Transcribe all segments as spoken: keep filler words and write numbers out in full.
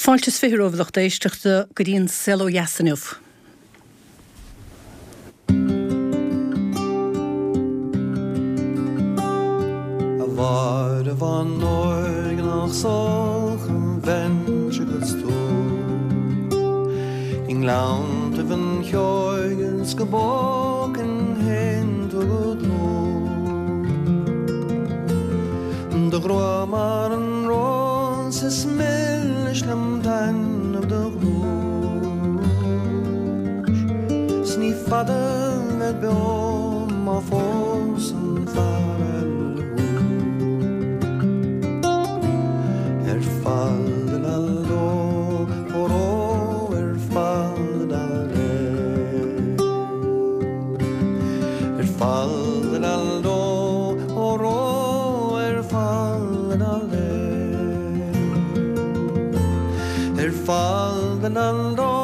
Fáilte is fiche romhaibh lucht éisteachta go dtí an Saol Ó Dheas inniu. A Mháire bhán óig nach sóch an bheinnse agus tú I ngleanntaibh an cheoigh is go bpógfainn féin tú go dlúth Do ghrá mar an rós is milis liom taitneamh do ghnúis 'S ní fada bhead beo má phósann fear eile thú. Ar fal-la-ló, óró, ar fal-la-lé. Ar fal-la-ló, óró, ar fal-la-lé. Ar fal-la-ló,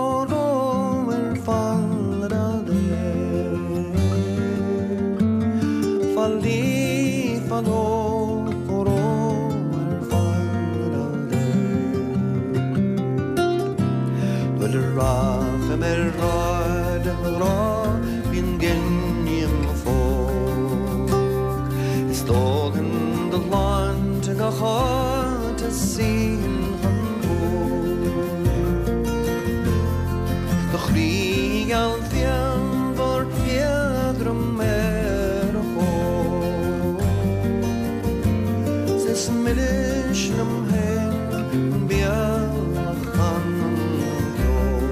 óró, ar fal-la-lé. Fal-lí, fal-ló, óró, ar fal-la-lé. Nuair a rachaidh mé ar ráid a ghrá, bíonn gin i mo phóca. Is dóchan do shláinte gach áit a suíonn chun bua. Do chroí geal pianmhar éadrom ar a chóir. 'S is milis liom féin an béal a chanann ceol.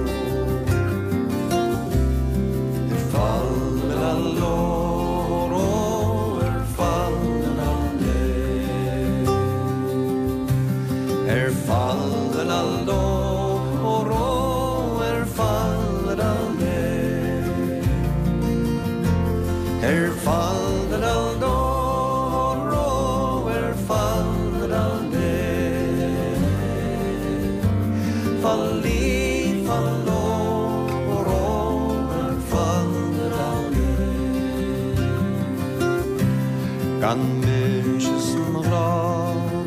Ar fal-la-ló, óró, ar fal-la-lé. Ar fal-la-ló, óró, ar fal-la-lé. Ar fal-la-ló, óró, ar fal-la-lé. Fal-lí, fal-ló, óró, ar fal-la-lé. Gan mise is mo ghrá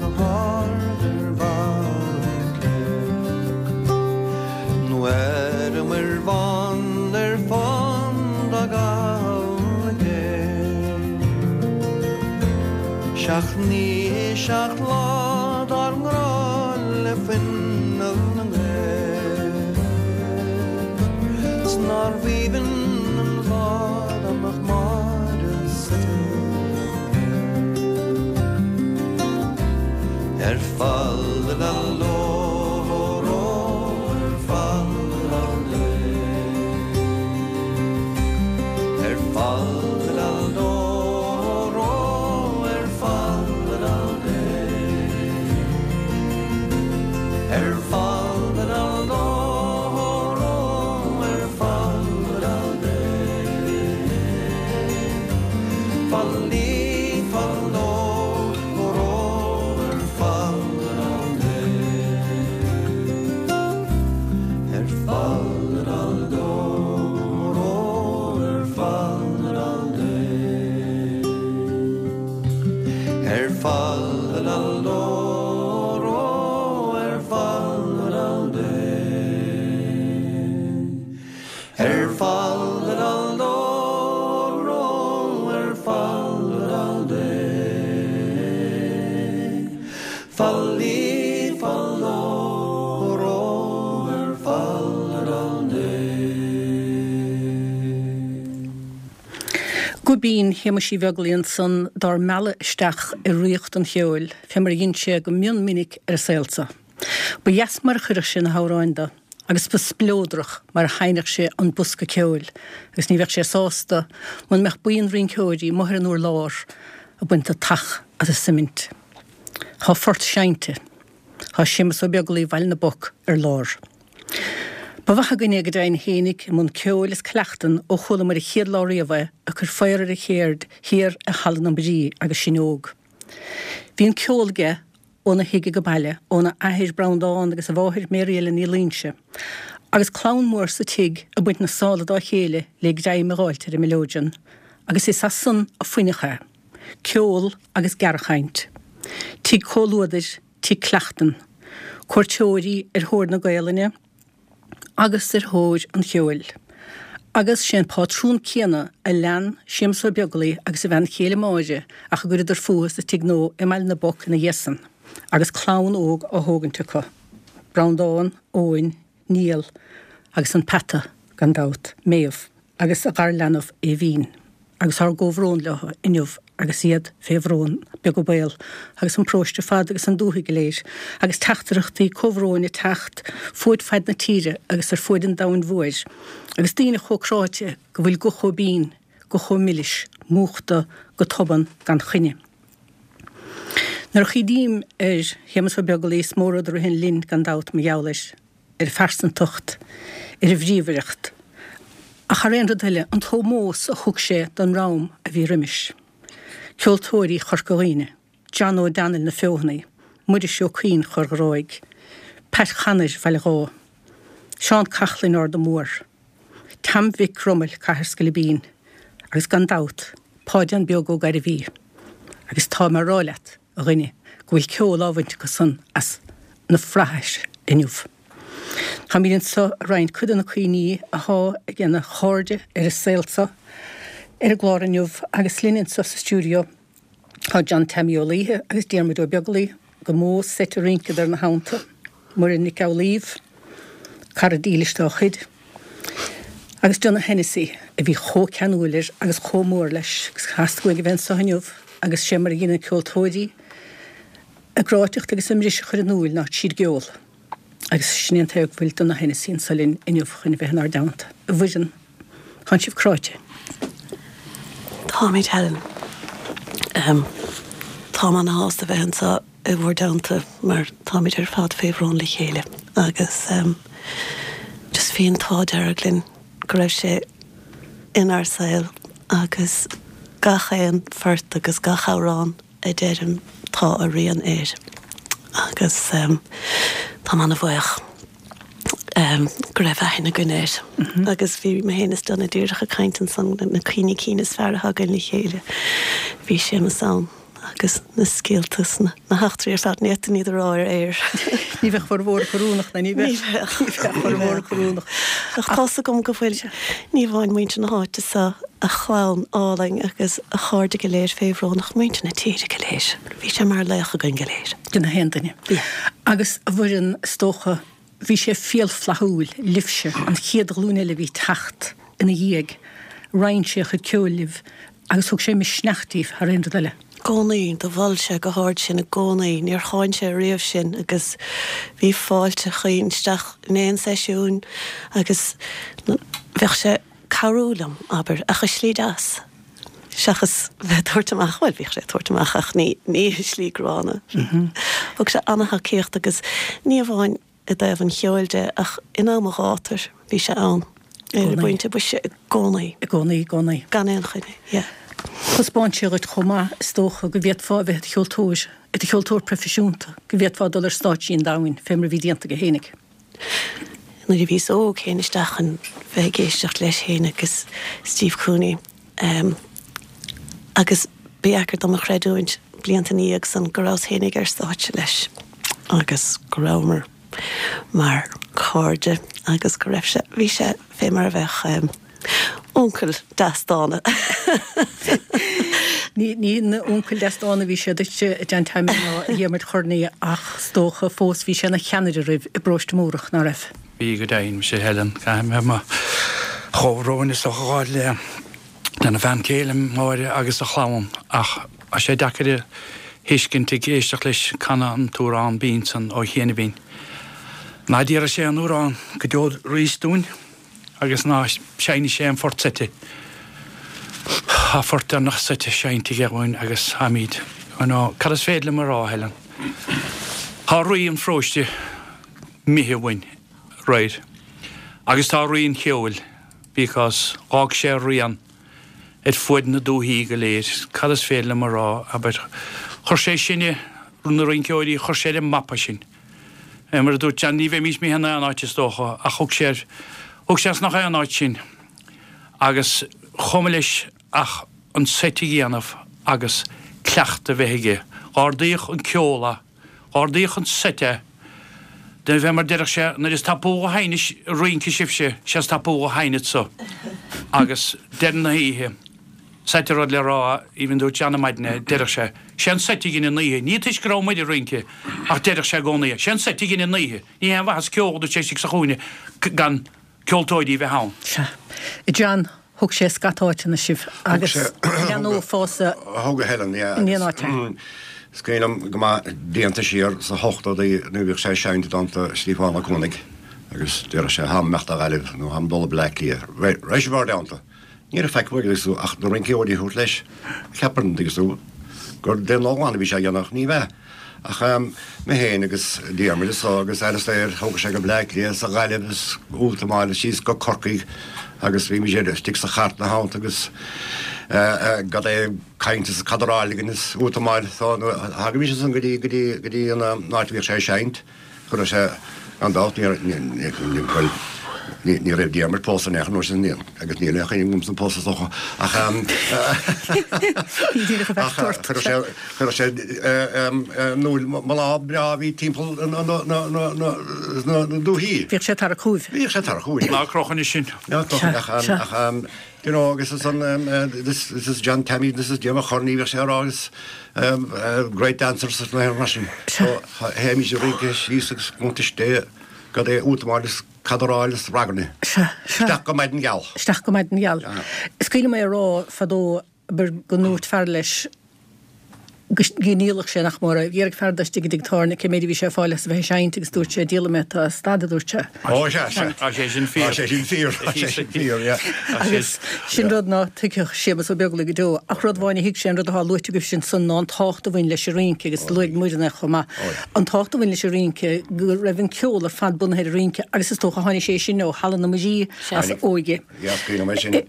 go hard ar bharr an chléibh. Nó ar an muir bhán ar fán dá gabhal céibh. Seacht mí, seacht lá dár ngrá le fuinneamh na nGael. 'S nár bh'aoibhinn an lá dá mbeadh Máire suite. Ar fal-la-ló, óró, ar fal-la-lé. Ar fal-la-ló, óró, ar fal-la-lé. Ar fal-la-ló, óró, ar fal-la-lé. Fal-lí, fal-ló, óró, ar fal-la-lé. Ar fal-la-ló, óró, ar fal-la-lé. Ar fal-la-ló, óró, ar fal-la-lé. Ar fal-la-ló, óró, ar fal-la-lé. Fal-lí, fal-ló, óró, ar fal-la-lé. Guibín Shéamuis Uí Bheaglaoich ansan dár mealladh isteach i ríocht an cheoil, fé mar a dhein sé go mion minic ar a saolsa. Ba dheas mar a chuireadh sé na hamhráin de, agus ba spleodrach mar a sheinneadh sé an bosca ceoil, agus ní bheadh sé sásta muna mbeadh buíon rinceoirí amuigh ar an urlár ag baint an tach as an suimint. Tá phort seinnte, Tá Séamus Ó Beaglaoich Bhaile na bPoc ar lár. Ba mhaith againne go deimhin fhéinig i mbun ceoil is cleachtan ó chualamar an chéad lá riamh é ag cur faobhar ar a cheird thiar i Halla na Brí agus sinn óg. Bhí an ceol aige óna thigh go baile, óna athair Breandán agus a mháthair Mary Ellen Ní Loingsigh, agus clann mór sa tigh ag baint na sála dá chéile le greim a dh'fháilt ar an mileoidean, agus is as san a fuineadh é, ceol agus gearrchaint. Tigh comhluadair, tigh cleachtan. Cuairteoirí ar thóir na Gaelainne agus ar thóir an cheoil. Agus sé an pátrún céanna a lean Séamus Ó Beaglaoi agus a bhean chéile Máire ach a gcuireadar fúthu sa Tigh Nua i mBaile na bPoc ina dhiaidh san, agus clann óg á thógaint acu, Breandán, Eoin, Niall agus an peata, gan dabht, Méabh, agus a garleanbh Aoibhín. Agus ár gcomhbhrón leo inniu agus iad fé bhrón, beag an baol, agus an paróiste ar fad agus an dúthaigh go léir, agus teachtaireachtaí comhbhróin ag teacht fuaid faid na tíre agus ar fuaid an domhain mhóir, agus daoine chomh cráite go bhfuil guth chomh binn, guth chomh milis, múchta go tobann gan choinne. Nuair a chuimhním ar Shéamus Ó Beaglaoi is mó rud a ritheann linn gan dabht mar gheall air, ar a phearsantacht, ar a bhríomhaireacht, ach thar aon rud eile, an t-ómós a thug sé don dhream a bhí roimis, ceoltóirí Chorca Dhuibhne, John Ó Danail na Feothanaí, Muiris Ó Cuinn Chorr Ghráig, Pat Chanair Bhaile Dháith, Seán Cachlainn Arda Mór, Tam Mhic Cromaill Cathair Sceilibín, agus gan dabht, Páidín Beag Ó Gairbhí. Agus tá mé a rá leat, a dhuine, go bhfuil ceol á bhaint acu san as na flaithis inniu. Táimid anseo ag roinnt cuid de na cuimhní athá ag na cairde ar an saol seo ar an gclár inniu agus linn anseo sa stiúideo tá John Taimí Ó Laoithe agus Diarmuid Ó Beaglaoi, go mó seit a rinceadar ina theannta, Muireann Nic Amhlaoibh, cara dílis dá chuid, agus Donogh Hennessy a bhí chomh ceanúil air agus chomh mór leis agus theastaigh uaidh a bheith anseo inniu agus sé mar a dhéanann ceoltóirí a gcráiteacht agus a mbriseadh a chur in iúil ná tríd an gceol. Agus sin é an tuige go bhfuil Donogh Hennessy anseo linn inniu chun a bheith inár dteannta. A Mhuireann, tánn sibh cráite? Táimid, Helen. Táim ana-shásta bheith anseo i bhur dteannta mar táimid ar fad fé bhrón le chéile agus just bhí an t-ádh dearg linn go raibh sé inár saol agus gach aon phort agus gach amhrán a deirim tá a rian air agus táim ana-bhuíoch go raibh aithne againn air. Agus bhí mé féin is Donagh díreach ag caint ansan na cuimhní cinn is fearr atá againn le chéile. Bhí Séamus ann agus na scéalta is na heachtraí ar fad, ní fhéadfainn iad a rá ar aer. Ní bheadh formhór oiriúnach ná ní bheadh. Ní bheadh. Ní bheadh formhór oiriúnach. Ach tá's agam go bhfuil ní amháin muintir na háite seo, a chlann álainn agus a chairde go léir fé bhrón ach muintir na tíre go léir. Bhí sé mar laoch againn go léir. Do na haon duine. Agus a Mhuireann, is dócha, bhí sé fial flaithiúil libhse, an chéad ghlúin eile a bhí ag teacht ina dhiaidh. Roinn sé a chuid ceoil libh agus thug sé misneach daoibh thar aon rud eile. gcónaí, do mhol sé go hard sinn i gcónaí, níor cháin sé riamh sinn agus bhí fáilte chaoin isteach in aon seisiún agus bheadh sé ag cabhrú liom, abair, ach i slí deas, seachas bheith ag tabhairt amach, bhuel, bhíodh sé ag tabhairt amach ach ní, ní i slí gránna. Thug sé an-tacaíocht agus ní amháin i dtaobh an cheoil de ach in am an ghátair bhí sé ann ar an bpointe boise i gcónaí. I gcónaí, i gcónaí. Gan aon choinne, yeah. Thaispeáin sé dhuit chomh maith, is dócha, go bhféadfá a bheith i do cheoltóir, i do cheoltóir proifisiúnta, go bhféadfá dul ar stáitsí an domhain, fé mar a bhí déanta aige fhéinig. Nuair a bhíos óg théinn isteach chun bheith ag éisteacht leis féin agus Steve Cooney agus ba dheacair dom a chreidiúint blianta ina dhiaidh san go rabhas féinig ar stáitse leis agus go rabhamar mar chairde agus go raibh sé, bhí sé fé mar a bheadh uncail deas dána. Ní ina uncail deas dána a bhí sé duitse, a John Taimín ná a Dhiarmuid Chornaí ach is dócha fós bhí sé ina cheannaire oraibh i bparóiste Múrach, ná raibh? Bhí go deimhin, sea Helen, caithfidh mé mo chomhbhrón is dócha a ghabháil le lena bhean chéile, Máire, agus a chlann, ach tá sé deacair a thuiscint ag éisteacht leis canadh an t-amhrán binn san ó chianaibhín. Ná déarfaidh sé an amhrán go deo arís dúinn agus ná seinnfidh sé an phort seite. Tá phort deireanach seite seinnte aige dhúinn agus táimid, you know, cad is féidir liom a rá, Helen? Tá rí an pharóiste imithe uainn, right? Agus tá rí an cheoil because dh'fhág sé a rian ar fuaid na dúthaí go léir. Cad is féidir liom a rá, abair? Chuir sé sinne, na rinceoirí, chuir sé ar an mapa sinn. Mar a dúirt John, ní bheimís imithe in aon áit is dócha, ach thug sé ar, thug sé as nach aon áit sinn. Agus chomh maith leis ach an seit a dhéanamh agus cleachtadh a bheith aige. Dh'ardaíodh an ceol é, dh'ardaíodh an seit é. De bheith mar deireadh sé nuair is tapúla a sheinneas rince sibhse, sé is tapúla a sheinneadsa. Agus deireadh na hoíche, seit rud le rá, even dúirt John ar maidin é, deireadh sé, sé an seit a dhein an oíche, ní toisc go raibh muid ag rince, ach deireadh sé i gcónaí, sé an seit a dhein an oíche, ní haon mhaitheas ceol dúirt sé istigh sa chúinne gan ceoltóirí a bheith ann. Sea. John, thug sé scata áiteanna sibh agus leanófása Thug a Helen, yeah. in aon áit é. Is cuimhin liom go maith blianta siar sa hochtóidí nuair a bhíodh sé ag seinnt i dteannta Stiofán Ó Cuanaigh agus deireadh sé tháim imeacht ó Ghaillimh nó tháim dul go Bleá Cliath. Raibh sé bhur dteannta. Ní raibh faic uaidh agus ach na rinceoirí a thabhairt leis. Cheapfá an dtuigeann tú gur d'aon ghnó a bhí sé a dhéanamh ach ní bheadh. Ach mé féin agus Diarmuid is so agus Alastair thóg sé go Bleá Cliath is Gaillimh is Ultamáil síos go Corcaigh agus bhí muid istigh sa chairt ina theannta agus gad é caint is cadráil againn is Ultamáil so thagaimis ansan go dtí go dtí go dtí an áit a bhíodh sé ag seinnt. Chuireadh sé gan dabht ní bhuel ní raibh Diarmuid pósta in aon chor an uair sin agus níl aon chuimhne agamsa pósta is dócha ach ach chuireadh sé chuireadh sé núil mná breá a bhí timpeall na na dúichí. Bhíodh sé ag tarrac chugaibh. Bhíodh sé ag tarrac chugaibh. Ná croch anois sin. Ná croch ach ach you know agus is an this this is John Tammy this is Diarmuid Chorney bhíodh sé á rá agus great dancers na mar sin. So théimis ag rince síos agus cuntais gad é útamáil is cadráil is ragairne. Sea, sea. Isteach go maidin gheal. Isteach go maidin gheal. Is cuimhin liom é a rá fadó go ndúirt fear leis go ndíolfadh sé nach mór é. Bhí fear de istigh i dtigh tábhairne cé méid a bhí sé ag fáil as a bheith ag seinnt agus dúirt sé díolfaidh mé tá stad a dúirt sé. Ó sea, sea. Tá sé sin fíor. Tá sé sin fíor. Tá sé sin fíor, yeah. Agus sin rud ná tuigfeadh Séamus Ó Beaglaoich go deo. Ach rud amháin a thuig sé an rud atá luaite agaibh sin san ná an tábhacht a bhain leis an rince agus luaigh Muireann é chomh maith. An tábhacht a bhain leis an rince go raibh an ceol ar fad bunaithe ar an rince agus is dócha tháinig sé sin ó Halla na Muirí as a óige.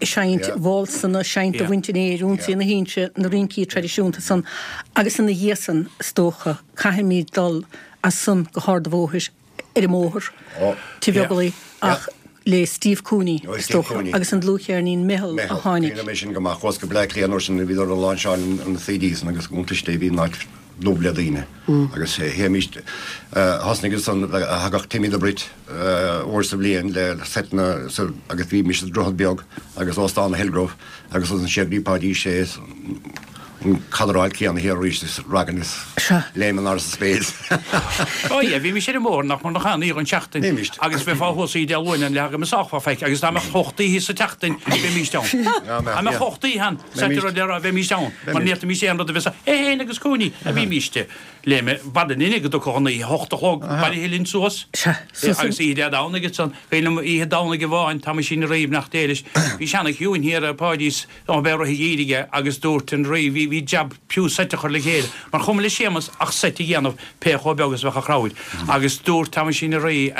Seinnt válsanna, seinnt do bhaint an aeir, ionsaí na hInse, na rincí traidisiúnta san agus ina dhiaidh san is dócha caithfimid dul as san go hArd an Bhóthair ar an mbóthar, Tigh Bheaglaoich ach le Steve Cooney is dócha agus an dlúthcheirnín Meitheal a tháinig. Cuimhin liom é sin go maith. Chuas go Bleá Cliath an uair sin bhíodar ag láinseáil an CD san agus iontais Dé bhí an áit dubh le daoine agus théimis thosnaigh ansan thagadh Timmy the Brit uair sa bhliain le seiteanna agus bhímis sa Droichead Beag agus Óstán Hillgrove agus ansan siar go dtí Páidí Sé an cadráil céanna thiar arís is ragairne is léim in airde sa spéir. Ó yeah, bhímis ar an mbóthar nach mór nach aon oíche den tseachtain Bhímis. agus bheifeá thuas oíche Dé Luain an leath go mbeadh fá feic agus dá mbeadh ocht oíche sa tseachtain bheimis ann. Dá mbeadh ocht oíche ann, sa rud le rá bheimis ann, mar ní fhéadfaimis aon rud a bheith sa é féin agus Cooney a bhímis léim b'fhada linne go dtiocfadh an oíche hocht a chlog bailithe linn suas. Sea, suas Agus oíche Dé Domhnaigh ansan, cuimhin liom oíche Domhnaigh amháin, tá mise ina raibh nach déilis, bhí seana-chiúin thiar ar Pháidí's Ó bheith rith dhírigh agus dúirt an Rí, bhí bhí jab fiú seit a chur le chéile, mar chuma le Séamus ach seit a dhéanamh pé chomh beag is a bheadh an chrowd. Agus dúirt Tamaisín an Rí,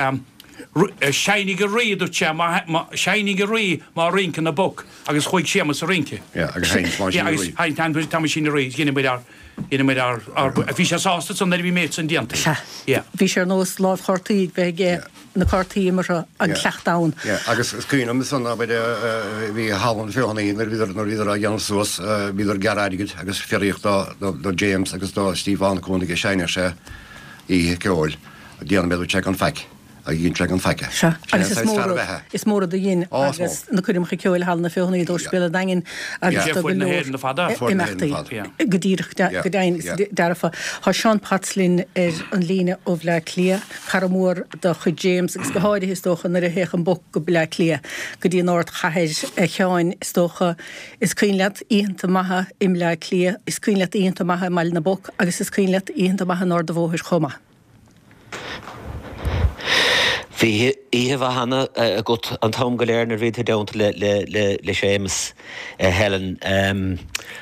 seinnigh a Rí, dúirt sé, má seinnigh a Rí má rinceann na boic agus chuaigh Séamus a rince. Yeah, agus sheinn Tamaisín Yeah, an agus Rí. sheinn Tam- Tamaisín an Rí, dheineamair ár dheineamair ár ár bhí sé sásta san nuair a bhí méid san déanta. Sea. Yeah. Bhí sé ar nós lámh chártaí ag bheith aige na cártaí imeartha an cleachtadh ann. Yeah, agus is cuimhin liom san abair bhí Halla na Feothanaí nuair a bhíodar nuair a bhíodar á dhéanamh suas bhíodar ag gearradh airgid agus fiafraíodh do do James agus do Stiofán Cooney a seinneadh sé oíche ceoil déanfaidh mé dúirt sé gan faic. A dhein sé gan faic. Sea, Sin agus an is saghas mór fear rud, ab ea é. is mór rud a dhein Ó, is agus mór. na coirmeacha ceoil Halla na Feothanaí d'Ospidéal an Daingin agus Yeah. do go Fuair na leor hÉireann fada. Fuair na imeachtaí. hÉireann fada. Yeah. Go díreach, de- Yeah, go deimhin is yeah. dearfa. Tá Seán Potts linn ar an líne ó Bhleá Cliath, cara mór de chuid James agus go háirithe is dócha nuair a théadh an boc go Bleá Cliath go dtí an ardchathair a Sheáin is dócha is cuimhin leat oícheanta maithe i mBleá Cliath, is cuimhin leat oícheanta maithe i mBaile na bPoc agus is cuimhin leat oícheanta maithe in Ard an Bhóthair chomh maith. Bhí oíche mhaith cheana agat an t-am go léir nuair a bhí tú i dteannta le le le le Séamus Helen.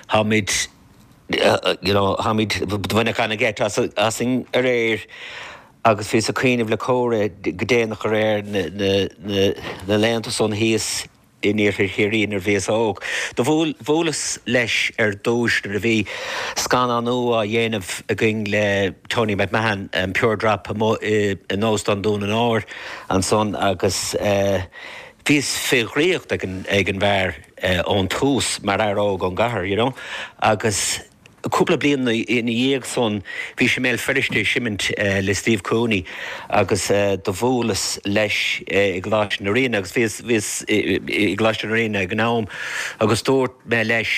Táimid you know táimid bhaineadh an-gheit as asainn aréir agus bhíos ag cuimhneamh le Córa go déanach aréir na na na na laethanta san thíos in iarthar Chiarraí nuair a bhíos óg. Do bhuaileas leis ar dtúis nuair a bhí scannán nua á dhéanamh againn le Tony McMahon, um, Pure Drop amuigh in Óstán Dún an Óir ansan agus bhíos fé dhraíocht ag an ag an bhfear ón tús mar fhear óg ón gcathair, you know, agus Cúpla bliain ina dhiaidh san bhí sé i mBéal Feirste ag seimint le Steve Cooney agus do bhuaileas leis i gColáiste na Ríona agus bhíos bhíos i gColáiste na Ríona ag an am agus dúirt mé leis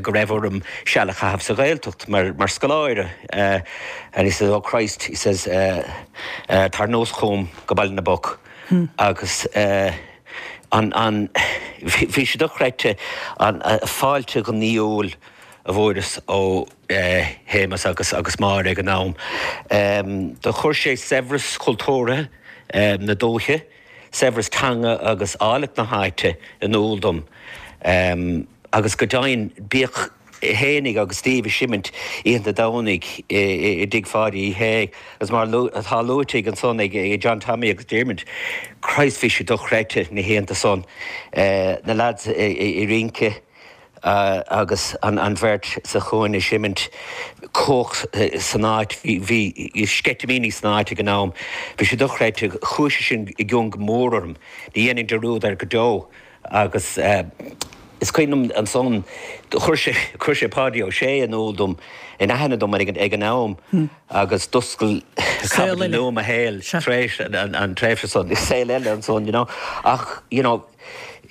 go raibh orm seal a chaitheamh sa Ghaeltacht mar mar scoláire and he says oh Christ he says tar anuas chugam go Baile na bPoc agus an an bhí sé dochreidte an fáilte ghnaíúil a bhfuaireas ó Shéamus agus agus Máire ag an am. Do chuir sé saibhreas cultúrtha na dúiche, saibhreas teanga agus áilleacht na háite in iúl dom. Agus go deimhin, bíodh é fhéinig agus Steve ag seimint oícheanta Domhnaigh i dtigh Pháidí Uí Shé agus mar atá luaite ansan ag John Tommy agus Diarmuid, Christ bhí sé dochreidte na hoícheanta san, na lads ag rince. agus an bheirt sa chúinne ag seimint cumhacht san áit, bhí sceitimíní san áit ag an am, bhí sé dochreidte, chuaigh sé sin i gcion go mór orm, ní dhéanfainn dearúd air go deo agus is cuimhin liom ansan, chuir sé, chuir sé Páidí Ó Sé in iúl dom, in aithne dom ag an am agus d'oscail caibidil nua i mo shaol tar éis an tréimhse san, saol eile ansan, you know, ach, you know,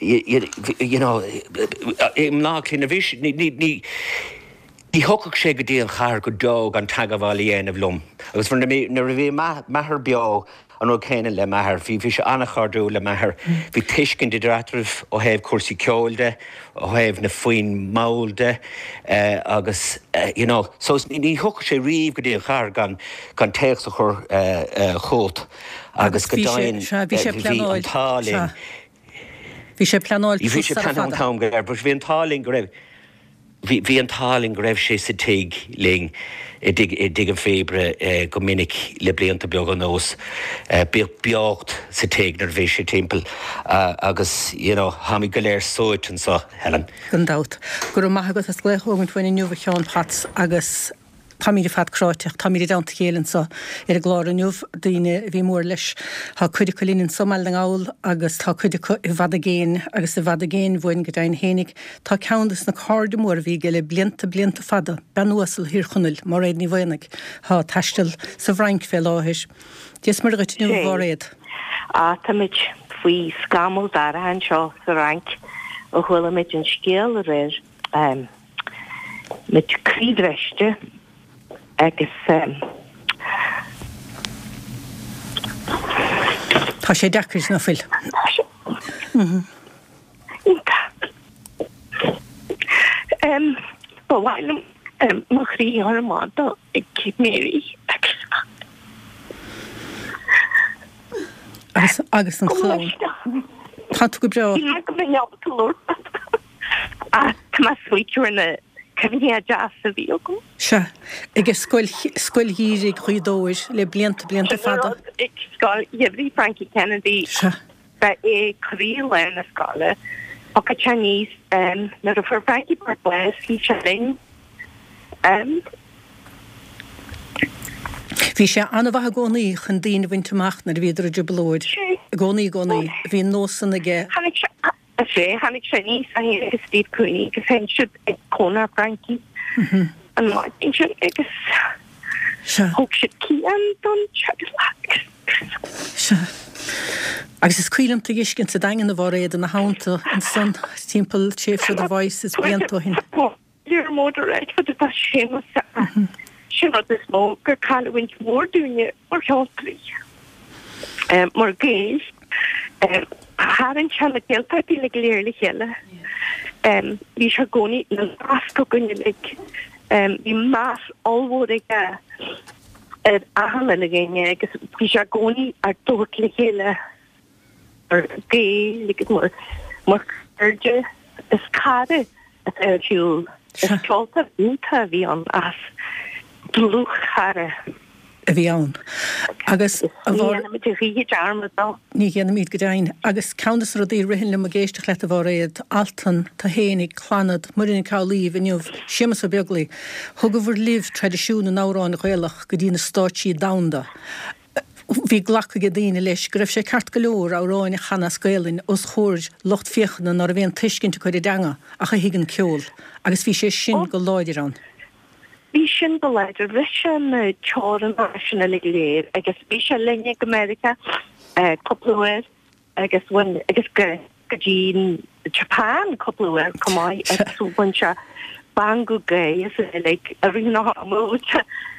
you know, i mBleá Cliath, ní bhí, ní, ní, ní, ní thiocfadh sé go dtí an chathair go deo gan teagmháil a dhéanamh liom. Agus nuair a bhí m'athair beo, an rud céanna le m'athair, bhí, bhí sé an-chairdiúil le m'athair, bhí tuiscint idir eatarthu ó thaobh cúrsaí ceoil de, ó thaobh na foinn mhall de, agus, you know, so ní, ní thiocfadh sé riamh go dtí an chathair gan, gan téacs a chur chugat agus go deimhin bhí an t-ádh linn. Bhí sé pleanáilte Bhí sé sara pleanáilte an fada. t-am go léir, but bhí an t-ádh linn go raibh, bhí, bhí an t-ádh linn go raibh sé sa tigh linn i dtigh, i dTigh an Phíobaire go minic le blianta beaga anuas. Bíodh beocht sa tigh nuair a bhí sé timpeall agus, you know, tháimid go léir suaite anso, Helen. Gan dabht. Go raibh maith agat as glaoch a thógaint uainn inniu a Sheáin Pheaits agus. Táimid ar fad cráite, táimid i dteannta a chéile anseo ar an gclár inniu, daoine a bhí mór leis. Tá cuid acu linn anseo i mBaile na nGall agus tá cuid acu i bhfad i gcéin agus i bhfad i gcéin uainn go deimhin fhéinig. Tá ceann des na cairde móra a bhí aige le blianta, blianta fada, bean uasal Thír Chonaill, Máiréad Ní Mhaonaigh, atá ag taisteal sa bhFrainc fé láthair. Dia is Muire dhuit inniu, a Sé. Mháiréad. Á, táimid faoi scamall dorcha anseo sa Fhrainc ó chuala muid an scéal aréir. Muid croíbhriste agus. Tá sé deacair, ná fuil? Tá sé iontach. Ba mhaith liom mo chroí a chur amach do ag Mary agus. Agus agus an chlann. Tá tú go breá. Shíl mé go mbeinn ábalta labhairt. Ach tá mé ag smaoitiú ar na cuimhní deasa a bhí agam. Sea, ag Scoil Scoil Gheimhridh Ghaoth Dobhair le blianta, blianta Sin an fada. rud, ag Scoil Gheimhridh Frankie Kennedy, Sea. ba é croílár na scoile. Thiocfadh sé aníos nuair a fuair Frankie Boyle bás, bhí sé linn. Bhí sé an-mhaith i gcónaí chun daoine a bhaint amach nuair a bhíodar i dtrioblóid. I gcónaí, i gcónaí. Bhí an nós san aige. Tháinig sé, is ea, tháinig sé aníos é féin agus Steve Cooney agus sheinn siad ag cónra Frankie an maidin sin agus thug siad Cian don teaghlach. Sea. Agus is cuimhin liom tú a fheiscint sa Daingean a Mháiréad ina theannta ansan timpeall tréimhse The Voice is blianta ó shin. Diarmuid Redford atá Séamus Sin rud is mó gur cailliúint mhór dúinne mar cheoltóirí, mar Ghaeil. Tharraing sé na Gaeltachtaí uilig go léir le chéile. Bhí sé i gcónaí ina nasc againn uilig. Bhí meas ollmhór aige ar achan uile dhuine agus bhí sé i gcónaí ár dtabhairt le chéile mar Ghaeil agus mar mar chairde. Is cara atá ar shiúl. Is ceoltóir iontach a bhí ann as dlúthchara. a bhí ann. Agus a Ní Mhár. dhéanfaimid a choíche dearmad dó. Ní dhéanfaimid go deimhin. Agus ceann de na rudaí a ritheann liom ag éisteacht leat a Mháiréad, Altan, tú fhéinig, Clannad, Muireann Nic Amhlaoibh inniu, Séamus Ó Beaglaoi, thugabhair libh traidisiún na n-amhrán Gaelach go dtí na stáitsí domhanda. Bhí glactha ag daoine leis go raibh sé ceart go leor amhráin a chanadh as Gaelainn os chomhair lucht féachana ná raibh aon tuiscint acu ar an dteanga ach a thuig an ceol. Agus bhí sé sin go láidir ann. Bhí sin go láidir, bhris sé na teorainneacha sin uilig go léir agus bhí sé linne go Meiriceá cúpla uair agus bhain agus go go dtí Japan cúpla uair chomh maith agus bhain sé bangadh gaoth as uilig i rith na hama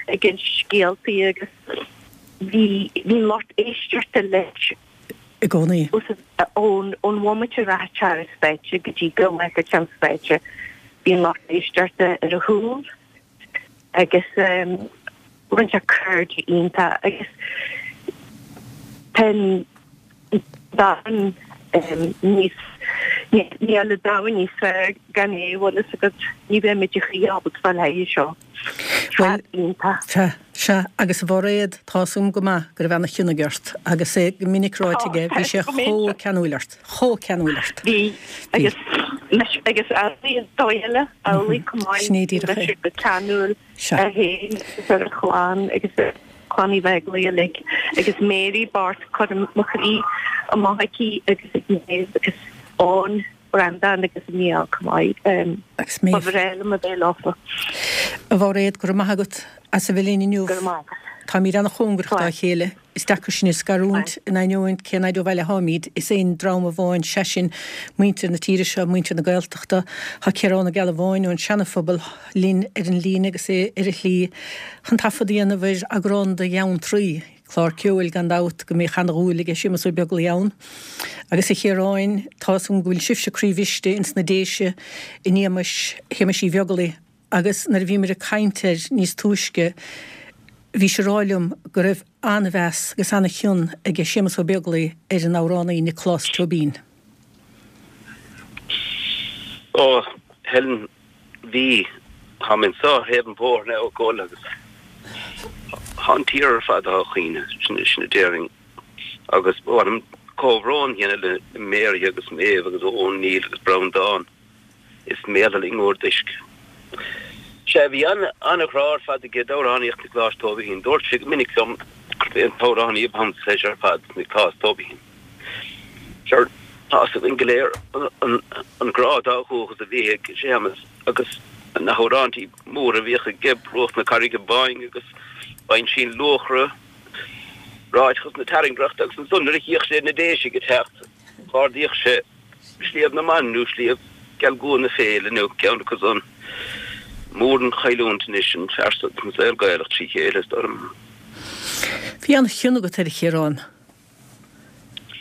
ag insint scéaltaí agus bhí bhí an lucht éisteachta leis i gcónaí. Ón ón bhomaite a rachadh sé ar an stáitse go dtí go bhfágfadh sé an stáitse, bhí an lucht éisteachta ar a chúl agus rinne sé cairde iontach agus tá an domhan níos níl an domhan níos fearr gan é, bhfuil fhios agat, ní bheimid a chroí ábalta fáil thairis seo. Bhuel, sea, sea, agus a Mhairéad, tá 'fhios agam go maith go raibh ana-chion aige ort, agus é go minic ráite aige, bhí sé chomh ceanúil ort, chomh ceanúil ort. Bhí, agus, agus amhlaidh an dóigh eile, amhlaidh chomh maith, Sin é díreach é. bhí sé go ceanúil air féin agus ar a chlann agus ar chlann Uí Bheaglaoich uilig, agus Mary bocht, cuirim mo chroí amach aici agus ag Méabh agus Eoin. Breandán agus Mícheál chomh maith. Agus Méabh. Ba bhreá liom a bheith leofa. A Mhairéad, go raibh maith agat as a bheith linn inniu. Go raibh maith agat. Táimid an-chóngarach dá chéile. Is deacair sinn a scarúint in ainneoin cén fhaid ó bhaile atáimid. Is aon dream amháin, sé sin, muintir na tíre seo, muintir na Gaeltachta. Tá Ciarán Ó Gealbháin ón Seana-Phobal linn ar an líne agus é ar a shlí chun taifead a dhéanamh ar eagrán de Gheantraí. Clár ceoil, gan dabht, go mbíodh ana-dhúil aige Séamus Ó Beaglaoich ann. Agus a Chiaráin, tá 'fhios agam go bhfuil sibhse croíbhriste ins na Déise in éagmais Shéamais Uí Bheaglaoich agus nuair a bhíomar ag caint air níos túisce bhís ag rá liom go raibh ana-mheas agus ana-chion aige Séamus Ó Beaglaoich ar an amhránaí Nioclás Tóibín. Ó, Helen, bhí, táim anso ar thaobh an bhóthair now ag gol agus tá an tír ar fad á chaoineadh, sin, sin a déarfainn. Agus ba mhaith liom comhbhrón a dhéanamh le Mary agus Méabh agus Eoin, Neil agus Breandán. Is méala linn bhur dtoisc. Sea, bhí an-ghrá ar fad aige d'amhránaíocht Niocláis Tóibín. Dúirt sé go minic liom gurb é an t-amhránaí ab ansa leis ar fad, Nioclás Tóibín. Sure, tá 'fhios againn go léir an grá dá dhúchas a bhí ag Séamus agus na hamhráintí móra a bhíodh aige, Bruach na Carraige Báine agus Uinsíonn Luachra, Ráiteachas na Tairngreachta agus ansan nuair a chíodh sé na Déisigh ag teacht, dh'ardaíodh sé Sliabh na mBan nó Sliabh Gealgua na Féile nó ceann acu san. Mór an chailliúint anois an fear so don saol Gaelach trí chéile, is dóigh liom. Bhí an-chion agat air, a Chiaráin.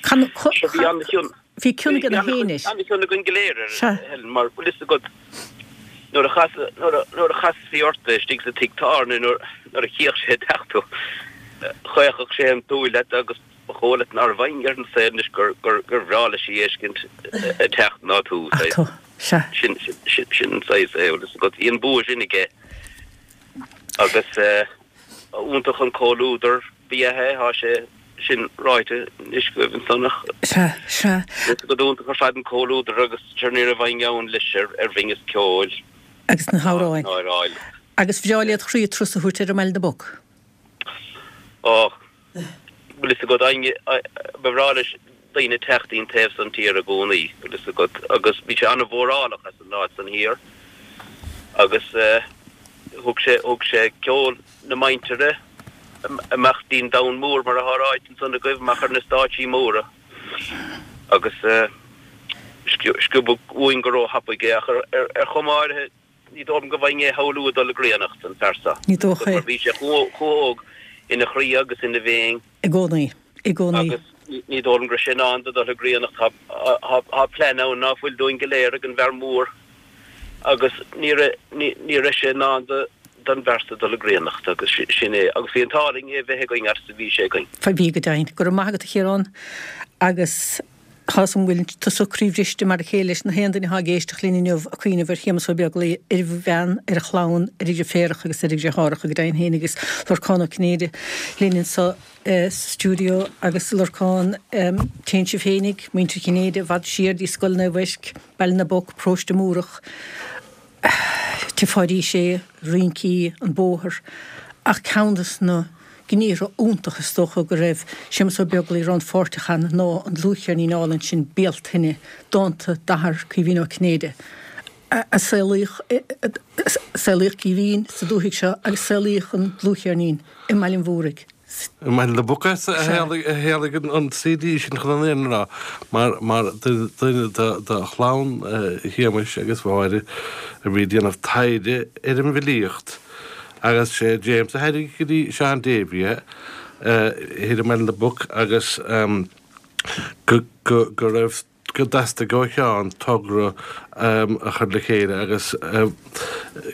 Sure, bhí an-chion. Bhí cion aige féin air. An-chion againn go léir air, Helen, mar bhfuil fhios agat nuair a chas, nuair a chasfaí ort é istigh sa tigh tábhairne, nuair a chíodh sé ag teacht thú, chaochfadh sé an tsúil leat agus ba chóir leat nárbh éinne ar an saol anois gur bhreá leis a fheiscint ag teacht ná tú. Sin an saghas é, bhfuil fhios agat. Bhí an bua sin aige agus iontach an comhluadar ba ea é, tá sé sin ráite anois agaibh ansan ach Sea, sea. bhfuil fhios agat iontach ar fad an comhluadar agus sure ní raibh éinne ann leis ar bhinneas ceoil Agus na hamhráin. ná ar fháil. Agus bhreá led chroí turas a thabhairt air i mBaile na bPoc. Ó, bhfuil fhios agat, éinne, ba bhreá leis daoine teacht ón taobh san tíre i gcónaí, bhfuil fhios agat, agus bhí sé an-mhórálach as an áit san thiar agus thug sé, thug sé ceol na muintire amach dtí'n domhan mór mar atá ráite ansan agaibh, amach ar na stáitsí móra agus sciobadh uainn go róthapaidh é ach ar chuma áirithe ní dóigh liom go bhfaighinn é a shamhlú ag dul i gcríonnacht, an fear so. Ní dócha é. Mar bhí sé chomh hóg ina chroí agus ina mhéin. I gcónaí. I gcónaí. Agus ní dóigh liom go raibh sé in ann do dul i gcríonnacht. Tá plean ann ná fuil dúinn go léir ag an bhfear mór agus ní raibh, ní raibh sé in ann do, don bhfear so dul i gcríonnacht agus sin é. Agus bhí an t-ádh linn é bheith againn fhad is a bhí sé againn. Bhí go deimhin. Go raibh maith agat a Chiaráin agus tá 'fhios a'm go bhfuil tusa croíbhriste mar a chéile leis na haon duine atá ag éisteacht linn inniu ag cuimhneamh ar Shéamus Ó Beaglaoich, ar a bhean, ar a chlann, ar a dheirféaracha agus ar a dheartháireacha go deimhin féin agus Lorcán Ó Cinnéide linn anseo sa stiúideo agus Lorcán, téann sibh féinig, muintir Chinnéide, i bhfad siar dtí Scoil Naomh Eirc, Baile na bPoc, Paróiste Múrach, Tchífeá arís é, rincí, an bóthar, ach ceann des na gníomhartha iontacha is dócha go raibh Séamus Ó Beaglaoich rannpháirteach ann ná an dlúthcheirnín álainn sin Bealtaine, dánta d'athar Caoimhín Ó Cinnéide. a saolaíodh saolaíodh Caoimhín sa dúthaigh seo agus saolaíodh an dlúthcheirnín i mBaile an Mhúraigh. I mBaile na bPoc a tharlaigh an C D sin chun an fhírinne a rá, mar mar duine de chlann Shéamais agus Mháire a bhí ag déanamh taighde ar an bhfilíocht agus sé James a thairg go dtí Seán Davey é thiar i mBaile na bPoc agus go go go raibh go dteastaigh ó Sheán togra a chur le chéile agus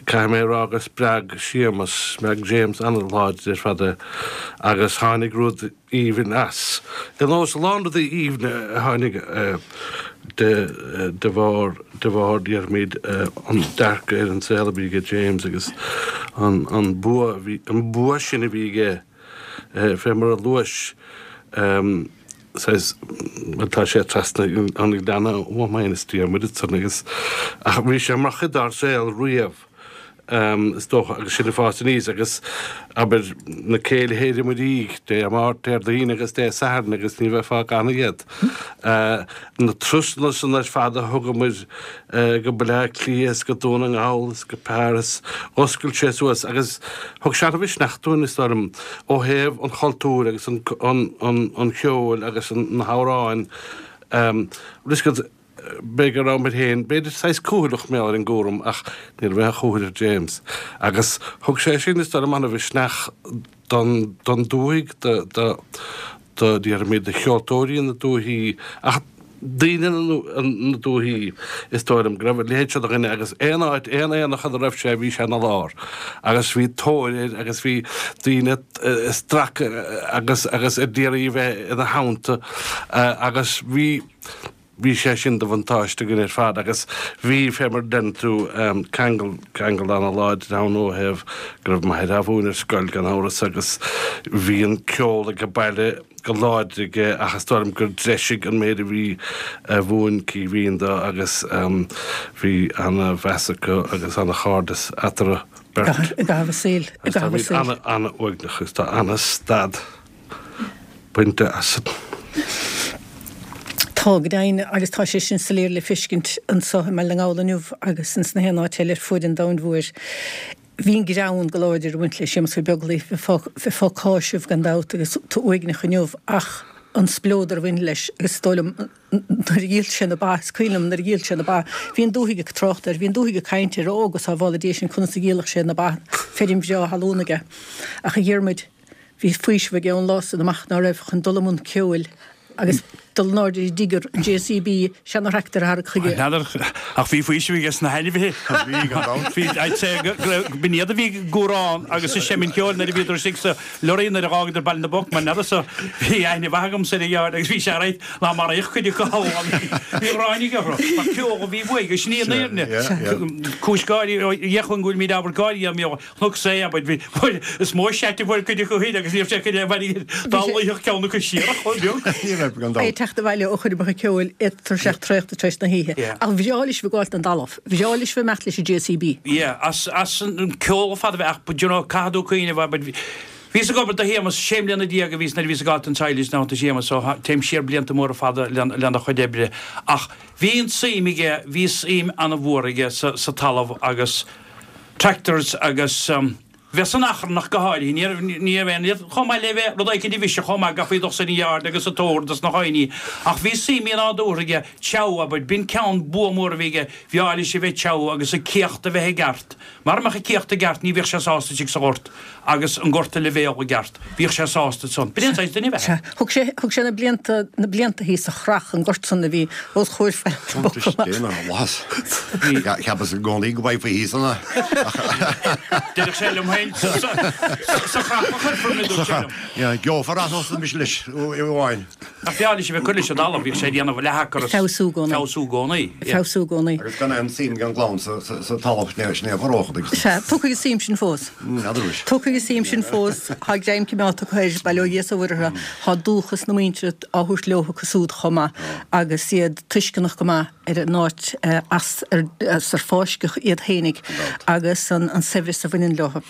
caithfidh mé a rá gur spreag Séamus, spreag James an-láidir ar fad é agus tháinig rud aoibhinn as. Ar nós a lán rudaí aoibhne a tháinig de de bharr de bharr déarfaimid an dearcadh ar an saol a bhí aige James agus an an bua a bhí an bua sin a bhí aige fé mar a luais saghas bhuel tá sé trasna an ghleanna uaim féin is Diarmuid ansan agus ach bhí sé mar chuid dár saol riamh is dócha agus sinn ag fás aníos agus abair na céilithe i mo dhiaidh Dé Máirt, Déardaoin agus Dé Sathairn agus ní bheifeá gan iad. Na turasanna san ar fad a thugamar go Baile Átha Cliath is go Dún na nGall is go Paris, dh'oscail sé suas agus thug sé an-mhisneach dúinn is dóigh liom ó thaobh an chultúir agus an an cheoil agus na hamhráin. Bhfuil b'fhéidir go rabhamar féin, b'fhéidir saghas cúthaileach mar gheall ar an gcúram ach ní raibh aon chúthail ar James. Agus thug sé sin is dóigh liom an-mhisneach don don dúthaigh, do do do déarfaimid do cheoltóirí na dúthaí ach daoine na dúthaí is dóigh liom go raibh a leithéid seo de dhuine agus aon áit, aon aonach ina raibh sé bhí sé ina lár agus bhí tóir air agus bhí daoine ag stracadh agus agus ag iarraidh a bheith ina theannta agus bhí bhí sé sin de bhuntáiste againn ar fad agus bhí, fé mar a deireann tú, ceangal, ceangal ana-láidir ann ó thaobh go raibh m'athair á mhúineadh ar scoil gan amhras agus bhí an ceol ag baile go láidir aige ach is dóigh liom gur threisigh an méid a bhí a mhúin Caoimhín dó agus bhí ana-mheas acu agus ana-chairdeas eatarthu beirt. I gcaitheamh a saoil. I gcaitheamh a saoil. Ana, ana-uaigneach agus tá ana-stad bainte as. Tá, go deimhin, agus tá sé sin soiléir le feiscint anso i mBaile na nGall inniu agus ins na haon áit eile ar fuaid an domhain mhóir. Bhí an greann go láidir ag baint le Séamus Ó Beaglaoich, bheifeá ag cáiseamh gan dabht agus tú uaigneach inniu ach an spleodar a bhain leis agus is dóigh liom nuair a dhíol sé na ba, is cuimhin liom nuair a dhíol sé na ba, bhí an dúthaigh ag trácht air, bhí an dúthaigh ag caint air, ó go sábhála Dia sinn conas a dhíolfadh sé na ba, feirm bhreá thalún aige. Ach a Dhiarmuid, bhí faoiseamh aige ón lá san amach ná raibh chun dul i mbun ceoil agus dul in airde ar digger, an J C B, seana-thractor a tharrac chuige. N'fheadar, ach bhí faoiseamh aige sna hainmhithe. Bhí, gan dabht. Bhí, I'd say, go raibh, b'in iad a bhí ag gúrán agus ag seimint ceoil nuair a bhíodar istigh sa lorry nuair a dh'fhágadar Baile na bPoc, mar n'fheadar so, bhí aithne mhaith agamsa ar a dheartháir agus bhí sé right ná maraíodh cuid acu thall, bhí gráin aige orthu, mar ceol a bhí uaidh, agus sin í an fhírinne. Cúis gáirí, ó dheich go bhfuilimid ábhar gáirí, Thug sé, abair, bhí, is mó seait a fuair cuid acu féin agus ní raibh sé chun é a bhaint dá luífeadh ceann acu siar chomh beag. Ní raibh gan É dabht. teacht abhaile ó choirmeacha ceoil é tuirseach traochta tar éis na hoíche. Ach bhreá leis bheith ag gabháilt don talamh. Bhreá leis bheith ag imeacht leis an J C B. Yeah, as, as an ceol ar fad a bheith ach, but you know, caithfidh tú cuimhneamh, abair, bhíos ag obair do Shéamus, sé mbliana déag a bhíos nuair a bhíos ag gabháilt don teaghlaigh ná do Shéamus, so téim siar blianta móra fada lena chuid oibre. Ach bhí an tsuim aige, bhí suim an-mhór aige sa, sa talamh agus tractors agus bheith san achrannach go háirithe. Ní raibh, ní raibh aon iad chomh maith le bheith rud éicint a bhiseach chomh maith, gabhfaí dul san yard agus sa tóir dos na haoinní. Ach bhí suim nádúrtha aige, tseabh, abair, b'in ceann bua mór a bhí aige, bhreá leis a bheith tseabh agus a céacht a bheith i gceart. Mara mbeadh a céacht i gceart ní bhíodh sé sásta istigh sa ghort agus an gort a leibhéal i gceart. Bhíodh sé sásta ansan. B'in an saghas duine a bheith. Sea. Thug sé, thug sé na blianta, na blianta thíos sa Chreach, an gort san a bhí os comhair Bhaile na Bpoc amach. Déanamh mhaitheas. Cheapas i gcónaí go bhfaighfí thíos ann é. Deireadh sé liom féin sa Chreach a chuirfear mé, dúirt sé liom. Gheofar as os mise leis amháin. Ach bhreá leis a bheith ag cur leis an dtalamh, bhíodh sé ag déanamh leath-acra is Feabhsú i gcónaí. feabhsú i gcónaí. Ag feabhsú i gcónaí. Agus gan aon suim gan gclann sa talamh sin é a mharóchadh agus. Sea, tiocfaidh an suim sin fós. N'fheadar anois. Tiocfaidh an suim sin fós. Tá greim cimeádta acu air, bail ó Dhia is ó Mhuire orthu. Tá dúchas na muintire á thabhairt leo acu súd chomh maith agus iad tuisceanach go maith ar an áit as ar fáisceadh iad fhéinig agus an saibhreas a bhaineann leo.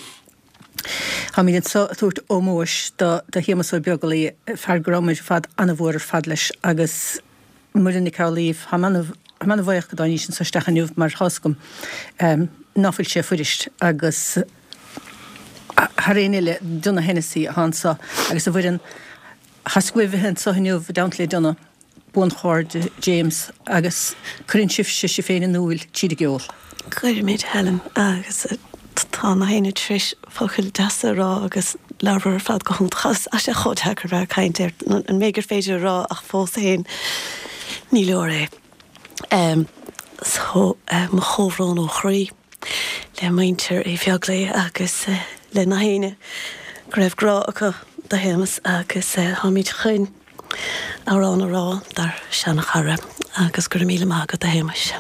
Táimid anseo ag tabhairt ómóis do Shéamus Ó Beaglaoich, fear go rabhamar ar fad an-mhór ar fad leis agus Muireann Nic Amhlaoibh, táim Tá mé ana-bhuíoch go dtáinís anso isteach inniu mar tá's agam ná fuil sé fuirist agus thar aon eile Donagh Hennessy atá anso agus a Mhuireann tá's agaibh bheith anso inniu i dteannta le Donagh, buanchairde James agus cuireann sibhse sibh féin in iúl tríd an gceol. Cuirimid, Helen, agus tá na héinne tar éis focail deasa a rá agus labhradar ar fad go hiontach. Tá sé chomh deacair bheith ag caint ar an méid gur féidir a rá ach fós féin ní leor é. So, mo chomhbhrón ó chroí le muintir Uí Bheaglaoich agus le na héinne go raibh grá acu do Shéamus agus táimid chun amhrán a rá dár seanchara agus go raibh míle maith agat a Shéamuis.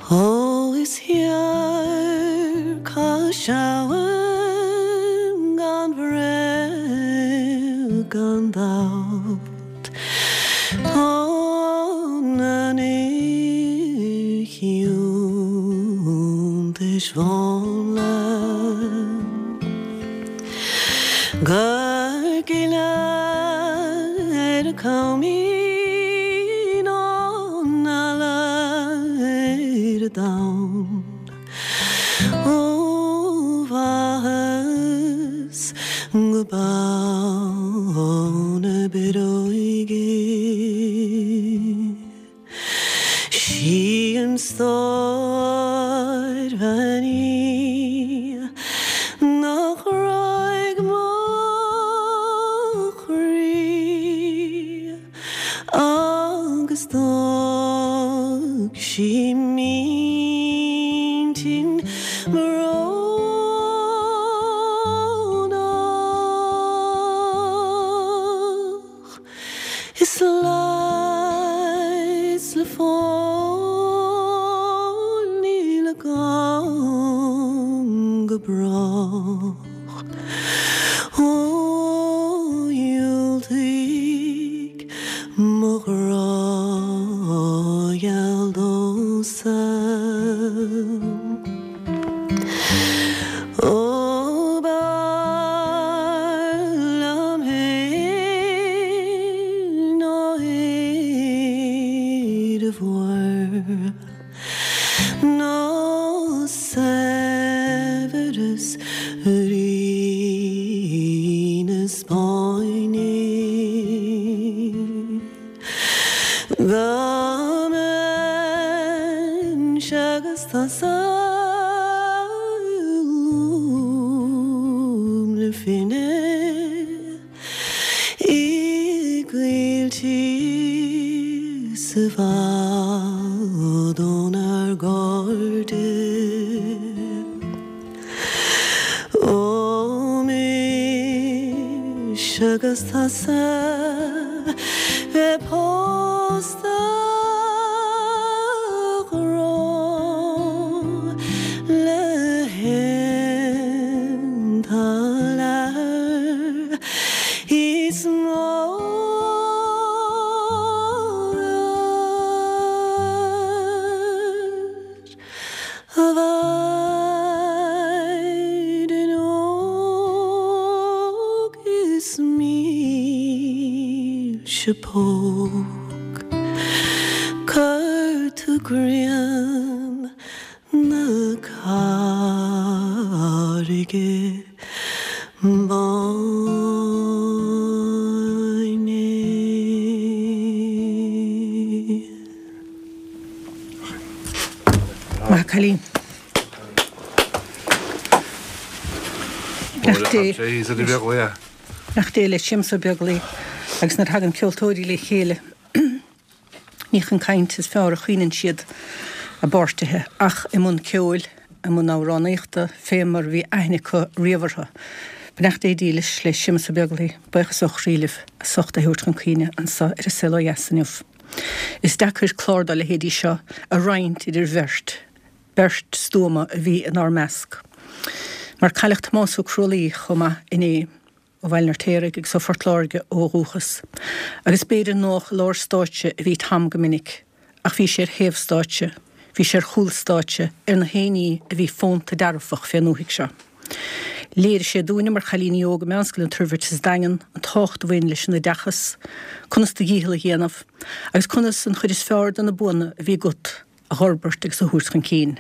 Ó is thiar cá seamhan gan bhréag gan dabht Tá na n-iontais mhánla Gur gile ar a coimín an eala ar a domhan Ó bhaitheas go ball na bioróige Sí an stór bhean í nach raibh mo chroí agus d'fhág sí m'intinn brónach. Is leigheas le fáil níl agam go brách. Ó dhiúltaigh mo ghrá gheal domhsa. Ó b'fhearr liom féin ná Éire mhór ná saibhreas Rí na Spáinne. Dá mbeinnse agus tusa i lúb na finne i gcoilltí is i bhfad ónár gcairde. Ó mise agus tusa bheith pósta a ghrá le haon toil is mó a mhaighdean óg is mílse póg Cuir tú grian na carraige báine. Maith cailín. Beannacht Dé. Beannacht Dé le Séamus Ó Beaglaoich agus nuair a thagann ceoltóirí le chéile ní chun cainte is fearr a chaoineann siad a bpáirtithe ach i mbun ceoil, i mbun amhránaíochta, fé mar a bhí aithne acu riamh orthu. Beannacht Dé dílis le Séamus Ó Beaglaoich, buíochas ó chroí libh as ucht é a thabhairt chun cuimhne anso ar An Saol Ó Dheas inniu. Is deacair clár dá leithéidí seo a roinnt idir bheirt, beirt stuama a bhí inár measc. Mar cailleadh Tomás Ó Crualaoi chomh maith inné, ó Bhaile an Fheirtéaraigh agus ó Phort Láirge ó dhúchas. Agus b'fhéidir nách i lár stáitse a bhí Tom go minic, ach bhí sé ar thaobh stáitse, bhí sé ar chúl stáitse, ar na héinní a bhí fónta dearfach fén ndúthaigh seo. Léirigh sé dúinne mar chailíní óga Meánscoil an Toirbhirt sa Daingean an tábhacht a bhain leis an oideachas, conas do dhícheall a dhéanamh, agus conas an chuid is fearr de na buanna a bhí agat a fhorbairt agus a thabhairt chun cinn.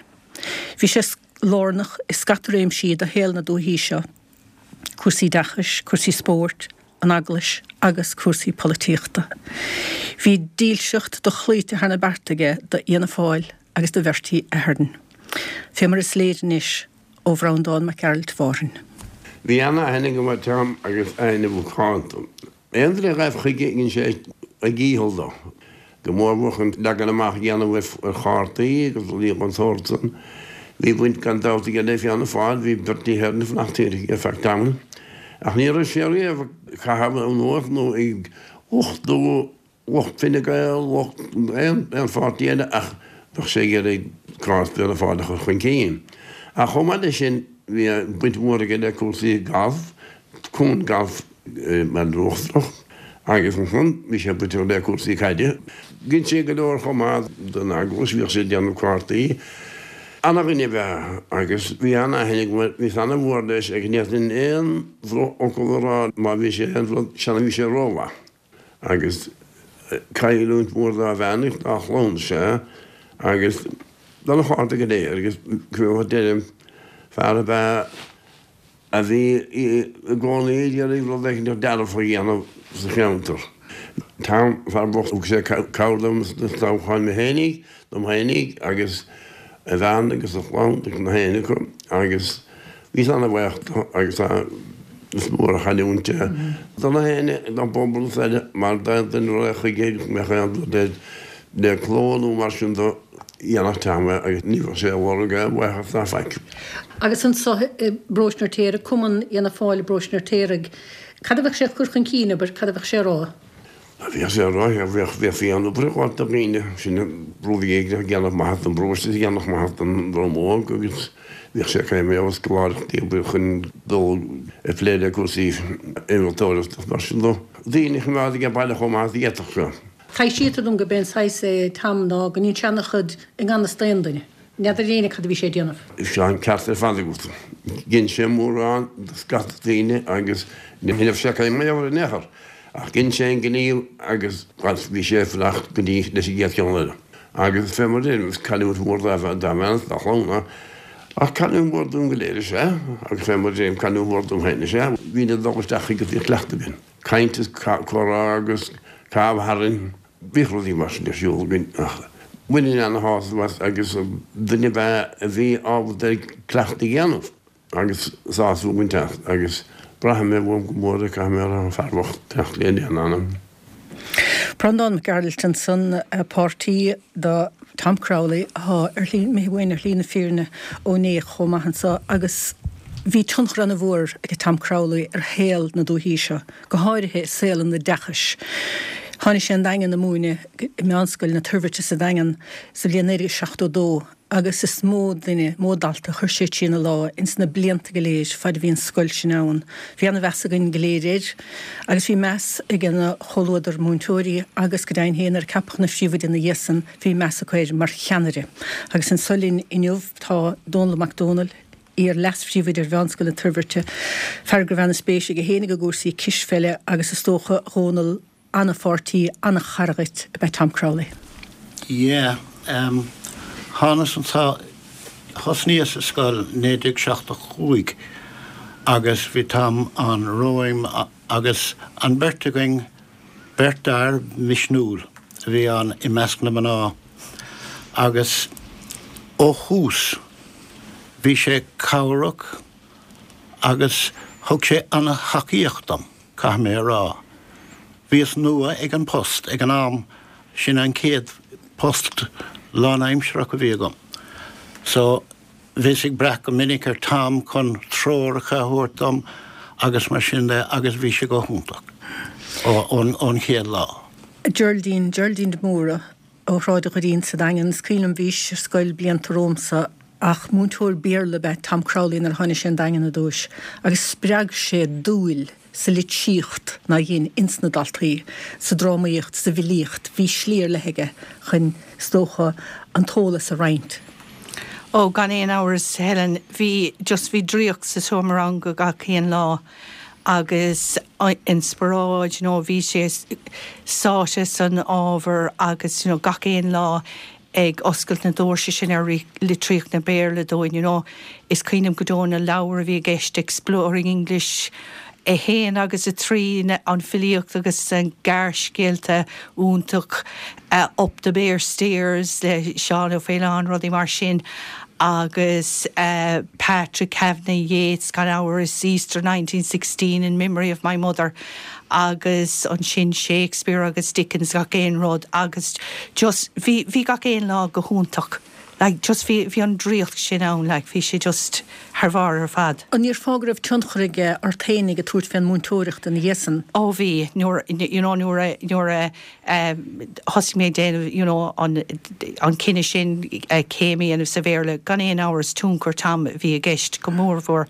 Bhí sé lárnach i scata réimsí de shaol na dúichí seo, cúrsaí oideachais, cúrsaí spóirt, an Eaglais agus cúrsaí polaitíochta. Bhí dílseacht dochloíte thar na bearta aige d'Fhianna Fáil agus do Bhertie Ahern. Fé mar is léir anois ó Bhreandán Mac Gearailt Mhárthain. Bhí ana-aithne agam ar Tom agus aithne mhacánta. Aon duine a ghaibh chuige dhein sé a dhícheall dó, go mór mhór chun leagan amach a dhéanamh ar chártaí agus rudaí den tsórt san. Bhí baint gan dabht aige le Fianna Fáil, bhí Bertie Ahern ag fanacht thiar aige ar feadh tamaill. Ach ní raibh sé riamh ag caitheamh anuas nó ag lochtú lucht Fine Gael, lucht aon pháirtí eile ach bheadh sé ag iarraidh cás Fianna Fáil a chur chun cinn. Ach chomh maith leis sin bhí baint mhór aige le cúrsaí gailf, cumann gailf i mBaile Uachtarach agus ansan bhí sé bainteach le cúrsaí caide. Dhein sé go leor chomh maith don eaglais, bhíodh sé ag déanamh cártaí. Ana-dhuine ab ea é agus bhí ana-aithne agam air, bhíos ana-mhór leis agus ní fhéadfainn aon drochfhocal a rá má bhí sé aon rud, seana bhí sé rómhaith. Agus cailliúint mhór dá bhean agus dá chlann is ea agus dona chairde go léir agus cé deirim, fear ab ea a bhí i gcónaí ag iarraidh rud éicint dearfach a dhéanamh sa cheantar. Tom, fear bocht, thug sé cabhair dom sna toghcháin mé fhéinig, dom fhéinig agus a bhean agus a chlann agus na héinne acu agus bhíos ana-bhuíoch dó agus is mór an chailliúint é do na héinne, don bpobal is eile mar d'aon duine a raghadh chuige agus go mbeadh aon rud air le cló nó mar sin de, dhéanfadh Tom é agus ní bheadh sé ag lorg aon bhuíochas ná faic. Agus anso i bparóiste an Fheirtéaraigh, Cumann Fhianna Fáil i bparóiste an Fheirtéaraigh, cad a bheadh sé ag cur chun cinn, abair, cad a bheadh sé a rá? Bheadh sé a rá, bheadh, bheifí an obair ag gabháil do dhaoine, sin rud éigin a dhéanfadh maitheas don bparóiste is a dhéanfadh maitheas don dream óg agus bheadh sé ag caint ar scoláireachtaí obair chun dul ag plé le cúrsaí innealtóireachta agus mar sin de. Daoine a choimeád ag baile chomh maith is a d'fhéadfadh sé. Taibhsítear dom gurb é an saghas é Tom ná go ndéanadh sé ana-chuid i ngan fhios d'aon duine. N'fheadar éinne cad a bhí sé ag déanamh. Tá an ceart ar fad agat. Dhein sé mórán do scata daoine agus ní raibh sé ag caint mar gheall air in aon chor. Ach dhein sé an gníomh agus bhí sé ag fanacht go dtí leis an gcéad cheann eile. Agus fé mar a deirim, is cailliúint mhór dá bhean is dá chlann é. Ach cailliúint mhór dúinn go léir is ea. Agus fé mar a deirim, cailliúint mhór dom féin is ea. Bhínn ag dul isteach chuige agus bhíodh cleachtadh againn. Caint is comhrá agus caitheamh tharainn. Bhíodh rudaí mar sin ar siúl againn ach bhaininn ana-shásamh as agus duine ab ea a bhí ábalta ar cleachtadh a dhéanamh agus sásamh a bhaint as agus braithfidh mé uaim go mór é, caithfidh mé a rá, an fear bocht, beannacht Dé lena anam. Breandán Mac Gearailt ansan, páirtí do Tom Crowley atá ar shlí, imithe uainn ar shlí na fírinne ó inné chomh maith anso agus bhí tionchar ana-mhór ag Tom Crowley ar shaol na dúichí seo, go háirithe i saol an oideachais. Tháinig sé an Daingean ag múineadh i Meánscoil na Toirbhirte sa Daingean sa bhliain naoi déag seachtó dó agus is mó duine, mó dalta a chuir sé trína lámha ins na blianta go léir fad a bhí an scoil sin ann. Bhí ana-mheas againn go léir air agus bhí meas ag a chomhluadar múinteoirí agus go deimhin féin nuair a ceapadh ina phríomhoide ina dhiaidh san bhí meas acu air mar cheannaire. Agus anso linn inniu tá Dónall Mac Dónaill, iar-leas-phríomhoide ar Mheánscoil na Toirbhirte, fear go raibh ana-spéis aige féinig i gcúrsaí cispheile agus is dócha, a Dhónaill, ana-pháirtí, ana-chara dhuit ab ea Tom Crowley. Yeah, em, thánas anso, thosnaíos sa scoil naoi déag seachtó cúig agus bhí Tom ann romham agus an bheirt againn, beirt fhear misniúil a bhí ann i measc na mná agus ó thús bhí sé cabhrach agus thug sé ana-thacaíocht dom, caithfidh mé a rá. Bhíos nua ag an post ag an am, sin an chéad post lánaimsearach a bhí agam. So, bhíos ag brath go minic ar Tom chun treoracha a thabhairt dom agus mar sin de agus bhí sé go hiontach ón chéad lá. Geraldine, Geraldine de Mórdha ó Shráid an Dhoirín sa Daingean. Is cuimhin liom bhís ar scoil blianta romhamsa ach múinteoir Béarla ab ea Tom Crowley nuair a tháinig sé an Daingean ar dtúis agus spreag sé dúil sa litríocht ná dhein ins na daltaí, sa drámaíocht, sa bhfilíocht, bhí slí ar leith aige chun, is dócha, an t-eolas a roinnt. Ó gan aon amhras Helen bhí just bhí draíocht sa seomra ranga gach aon lá agus inspioráid you know, bhí sé sáite san ábhar agus you know, gach aon lá ag oscailt na doirse sin ar litríocht na Béarla dúinn, you know, is cuimhin liom go deo na leabhair a bhí i gceist Exploring English a haon agus a trí an filíocht agus an gearrscéalta iontach uh, Up the Bare Stairs le Seán Ó Faoláin rudaí mar sin agus uh, Patrick Kavanagh Yeats gan amhras Easter nineteen sixteen in memory of my mother agus ansin Shakespeare agus Dickens gach aon rud agus just bhí bhí gach aon lá go hiontach. Like just bhí bhí an draíocht sin ann like bhí sé just thar barr ar fad. An ndéarfá go raibh tionchar aige ort fhéinig ag tabhairt fén múinteoireacht ina dhiaidh san? Ó bhí nuair you know nuair a nuair a um, thosaigh mé déanamh you know an an cinneadh sin uh, céim a dhéanamh sa Bhéarla gan aon amhras tionchar Tom bhí i gceist go mórmhór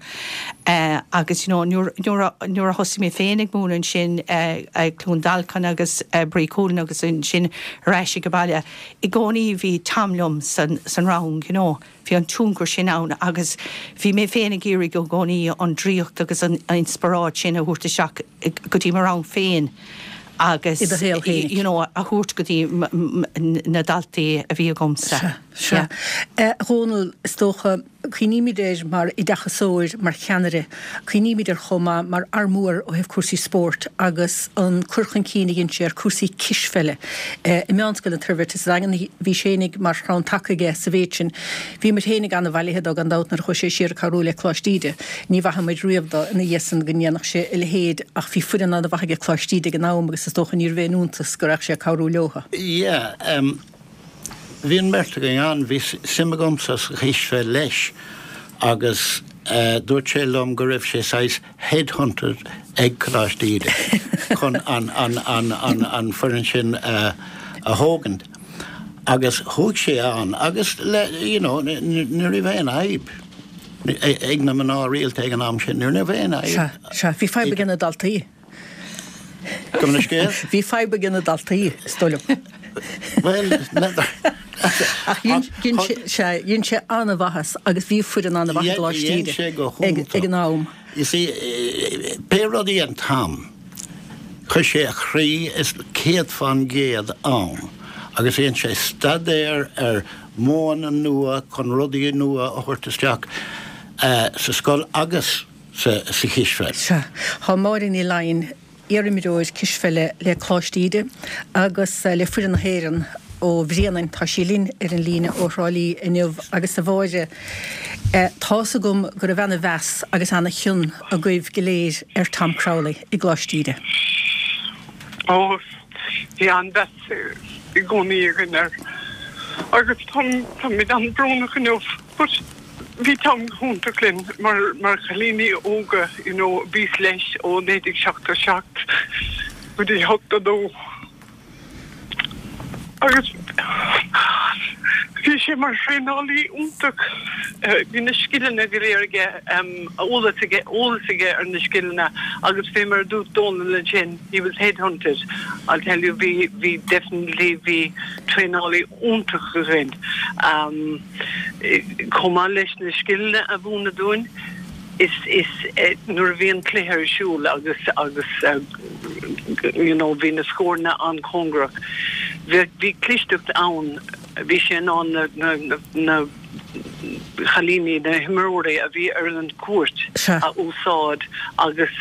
uh, agus you know nuair nuair a nuair a thosaigh mé féin ag múineadh ansin uh, uh, Cluain Dolcáin agus uh, Brí Cúlan agus ansin ar ais ag baile i gcónaí bhí Tom liom san san rang you know bhí an tionchar sin ann agus bhí mé féin ag iarraidh i gcónaí an draíocht agus an inspioráid sin a thabhairt isteach go dtí mo rang féin agus I do shaol féin. you know, a thabhairt go dtí na daltaí a bhí agamsa. Sea. A Dhónaill is dócha cuimhnímid air mar oideachasóir, mar cheannaire, cuimhnímid air chomh maith mar fhear mór ó thaobh cúrsaí spóirt agus an cur chun cinn a dhein sé ar cúrsaí cispheile i Meánscoil an Toirbhirt sa Daingean. Bhí sé fhéinig mar chrann taca aige sa mhéid sin. Bhí muid fhéinig ana-bhailithe dó gan dabht nuair a chuaigh sé siar ag cabhrú le Coláiste Íde. Ní mhaithfidh muid riamh dó ina dhiaidh san go ndéanfadh sé a leithéid ach bhí foireann ana-mhaith aige Coláiste Íde ag an am agus is dócha níorbh aon iontas go raibh sé ag cabhrú leothu. Yeah, um, bhí an bheirt againn ann, bhí suim agamsa sa chispheil leis agus uh, dúirt sé liom go raibh sé saghas headhunted ag Coláiste Íde chun an, an, an, an, an foireann sin uh, a thógaint. Agus chuaigh sé ann agus le, you know, ní raibh aon fhadhb ag na mná rialta ag an am sin, ní raibh aon fhadhb. Sea, sea, bhí fadhb ag na daltaí. Gabh mo leithscéal? Bhí fadhb ag na daltaí, is dóigh liom. Well, Ach dhein sé an-mhaitheas agus bhí foireann an-mhaith ag Coláiste Íde ag an am. You see, pé rud a dhein Tom, chuir sé a chroí is céad fán gcéad ann agus dhein sé staidéar ar mhodhanna nua chun rudaí nua a thabhairt isteach sa scoil agus sa chispheil. Sea, tá Máire Ní Laighin, iarimreoir cispheile le Coláiste Íde agus le foireann na hÉireann ó Bhréanainn, tá sí linn ar an líne ó Thrá Lí inniu agus a Mháire, tá's agam go raibh ana-mheas agus ana-chion agaibh go léir ar Tom Crowley i gColáiste Íde. Ó, bhí an-mheas i gcónaí againn air agus táimid an-bhrónach inniu but bhí Tom go hiontach linn mar mar chailíní óga you know bhíos leis ó naoi déag seachtó seacht go dtí ochtó dó agus bhí sé mar thraenálaí iontach. Bhí na scileanna go léir aige, eolas aige, eolas aige ar na scileanna agus fé mar a dúirt Dónal ansin, he was headhunted, I'll tell you, bhí, bhí definitely, bhí traenálaí iontach againn. Chomh maith leis na scileanna a mhúineadh dúinn, is, is nuair a bhí an cluiche ar siúl agus, agus you know bhí na scóranna an-chóngarach, bhí, bhí clisteacht ann, bhí sé in ann na, na, na, na chailíní, na himreoirí a bhí ar an gcúirt a úsáid agus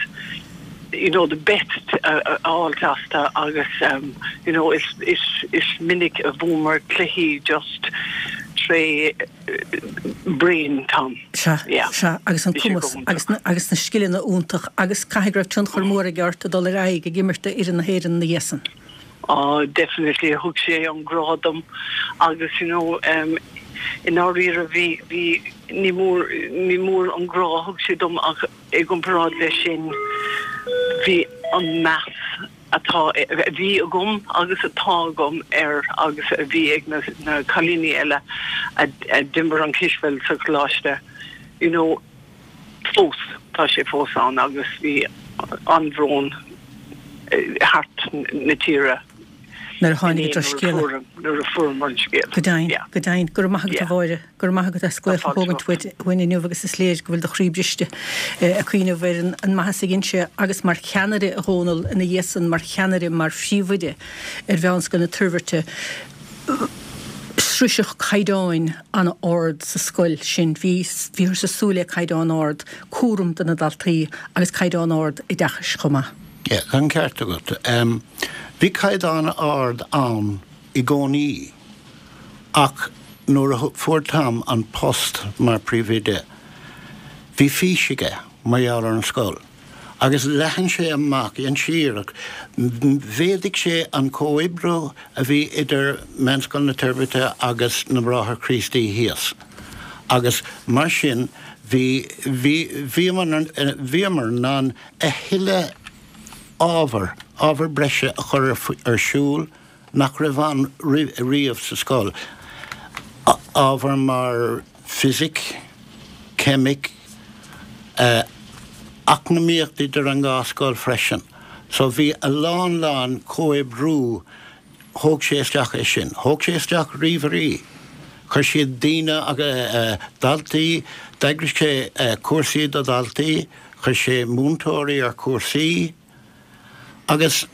you know the best a fháilt astu agus you know is, is, is minic a bhuamar cluichí just tré brain Tom. Sea, sea, agus an cumas agus na, agus na scileanna iontach agus caithfidh go raibh tionchar mór aige ort ag dul ar aghaidh ag imirt d'fhoireann na hÉireann ina dhiaidh san. Oh definitely thug sé an grá dom agus you know um, i ndáiríre bhí, bhí, ní mór, ní mór an grá a thug sé dom ach i gcomparáid leis sin bhí an meas atá, a bhí agam agus atá agam air agus a bhí ag na, na cailíní eile a, a d'imir an cispheil sa choláiste you know fós, tá sé fós ann agus bhí an-bhrón thart na tíre. Nuair a tháinig an drochscéala. Nuair a fuaireamar an scéal. Go deimhin, go deimhin. Go raibh maith agat a Mháire, go raibh maith agat as glaoch a thógaint uait uainn inniu agus is léir go bhfuil do chroí briste ag cuimhneamh ar an maitheas a dhein sé agus mar cheannaire a Dhónaill ina dhiaidh san, mar cheannaire, mar phríomhoide ar Mheánscoil na Toirbhirte. Sroiseadh caighdeáin an-ard sa scoil sin. Bhí, bhíothas ag súil le caighdeán ard, cúram do na daltaí agus caighdeán ard oideachais chomh maith. Yeah, tá an ceart agat. Bhí caighdeán ard ann i gcónaí ach nuair a fuair Tom an post mar phríomhoide, bhí fís aige mar gheall ar an scoil agus leathan sé amach, dhein sé iarracht, mhéadaigh sé an comhoibriú a bhí idir Meánscoil na Toirbhirte agus na Bráithre Críostaí thíos agus mar sin bhí, bhí, bhíomar, bhíomar in ann a thuilleadh ábhar, ábhar breise a chur ar siúl nach raibh ann riamh sa scoil, ábhar mar fisic, ceimic, eacnamaíocht idir an dhá scoil freisin. So bhí a lán lán comhoibriú, thóg sé isteach é sin. Thóg sé isteach ríomhairí, chuir siad daoine, daltaí, d'eagraigh sé cúrsaí do dhaltaí, chuir sé múinteoirí ar chúrsaí agus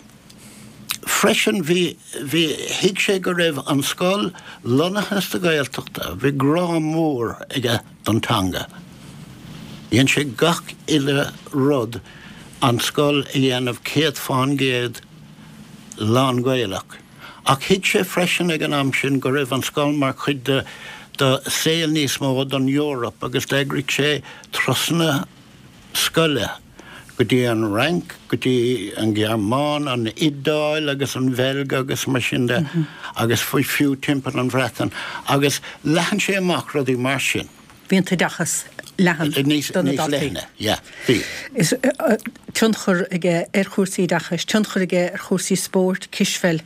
freisin bhí, bhí, thuig sé go raibh an scoil lonnaithe sa Ghaeltacht, bhí grá mór aige don teanga. Dhein sé gach uile rud an scoil a dhéanamh céad fán gcéad lán-Ghaelach. Ach thuig sé freisin ag an am sin go raibh an scoil mar chuid de de saol níos mó don Eoraip agus d'eagraigh sé turasanna scoile go dtí an Fhrainc, go dtí an Ghearmáin, an Iodáil agus an Bheilg agus mar sin de agus fiú timpeall an Bhreatain agus leathan sé amach rudaí mar sin. Bhí an t-oideachas leathan do na daltaí. Yeah, bhí. Is tionchar aige ar chúrsaí oideachais, tionchar aige ar chúrsaí spóirt, cispheil,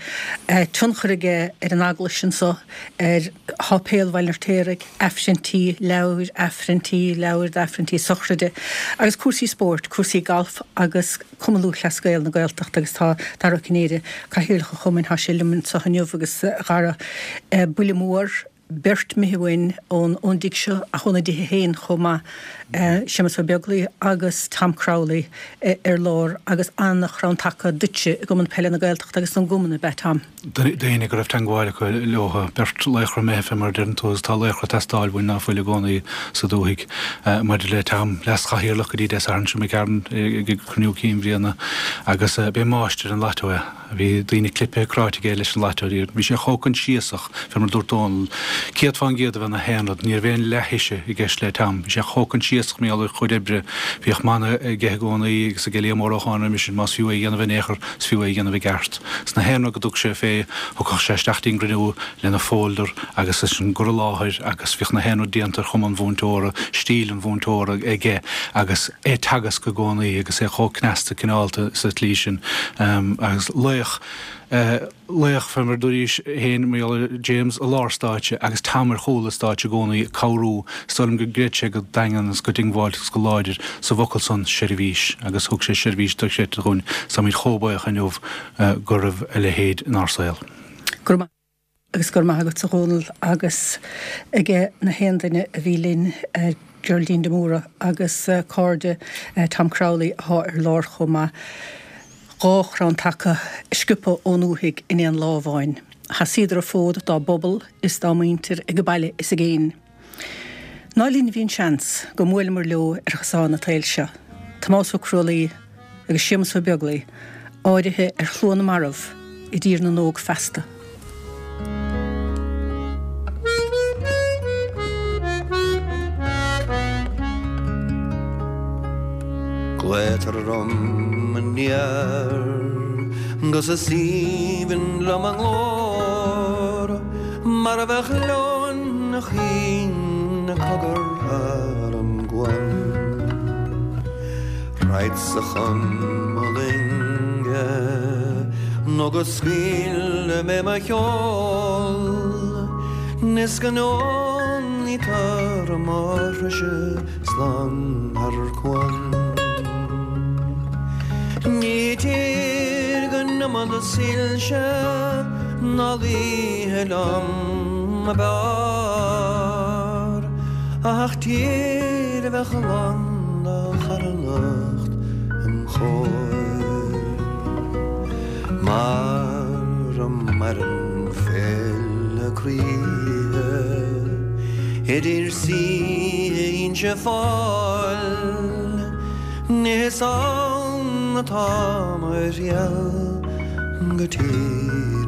tionchar aige ar an eaglais anseo, ar Sháipéal Bhaile an Fheirtéaraigh, Aifrinntí, leabhair, Aifrinntí, leabhair d'Aifrinntí sochraide, agus cúrsaí spóirt, cúrsaí galf agus Cumann Lúthchleas Gael na Gaeltachta agus tá Dara Ó Cinnéide, Cathaoirleach an Chumainn, tá sé liom anseo inniu agus a Dhara, buille mór. beirt imithe uainn ón ón dtigh seo ach óna dtithe féin chomh maith, Séamus Ó Beaglaoi agus Tom Crowley ar lár agus an-chrann taca duitse i gCumann Peile na Gaeltachta agus don gcumann ab ea Tom? Daoine go raibh teangmháil acu leo, beirt laochra imithe fé mar a deireann tú agus tá laochra ag teastáil uainn ná fuil i gcónaí sa dúthaigh. Maidir le Tom, leas-chathaoirleach go dtí Dé Sathairn seo imigh tharainn ag cruinniú cinn bhliana agus b'é máistir an lató é. Bhí daoine clipthe cráite aige leis an lató. Bhí sé chomh coinsiasach, fé mar a dúirt Dónall, céad fán gcéad a bheith na haon rud. Ní raibh aon leath-thoise i gceist le Tom. Bhí sé chomh coinsiasach mar gheall ar a chuid oibre. Bhíodh mana aige i gcónaí agus ag Liam Ór Ó Cáin roimis sin, más fiú é a dhéanamh in aon chor, is fiú é a dhéanamh i gceart. Sna haon rud go dtug sé fé, thiocfadh sé isteach dtí'n gcruinniú lena folder agus leis an gcur i láthair agus bhíodh na haon rud déanta ar chuma an mhúinteora, stíl an mhúinteora aige agus é ag teagasc i gcónaí agus é chomh cneasta cineálta sa tslí sin agus laoch, laoch fé mar a dúraís féin mar gheall ar James i lár stáitse agus Tom ar chúl an stáitse i gcónaí ag cabhrú. Is dóigh liom go gcreid sé go daingean agus go diongbháilte agus go láidir sa bhfocal san, seirbhís, agus thug sé seirbhís dochreidte dhúinn. Is táimid chomh buíoch inniu go raibh a leithéid inár saol. Go raibh maith. Agus go raibh maith agatsa a Dhónaill agus aige na haon duine a bhí linn, Geraldine de Mórdha agus cairde Tom Crowley athá ar lár chomh maith. Dhá chrann taca sciobtha ón ndúthaigh in aon lá amháin. Sheasaíodar an fód dá bpobal is dá muintir ag baile is i gcéin. Ná linn a bhí an seans go mbuaileamar leo ar chosán an tsaoil seo. Tomás Ó Crualaoi agus Séamus Ó Beaglaoi áirithe ar shlua na marbh i dTír na nÓg feasta. Glaotar orm aniar 'gus is aoibhinn liom a nglór mar a bheadh leoin a chaoin ag cogar thar an gcuan. Raghadsa chun mo loinge nó go scaoile mé mo sheol 'Nis go n-ólfaidh mo thruaise slán thar cuan. Ní tír gan iomad soilse Ná l'oíche liom ab fhearr Ach tír a bheadh lán de charthanacht im chomhair Mar a maireann féile croíthe Idir saoithe Inse Fáil Is ann atá mo thriall go tír.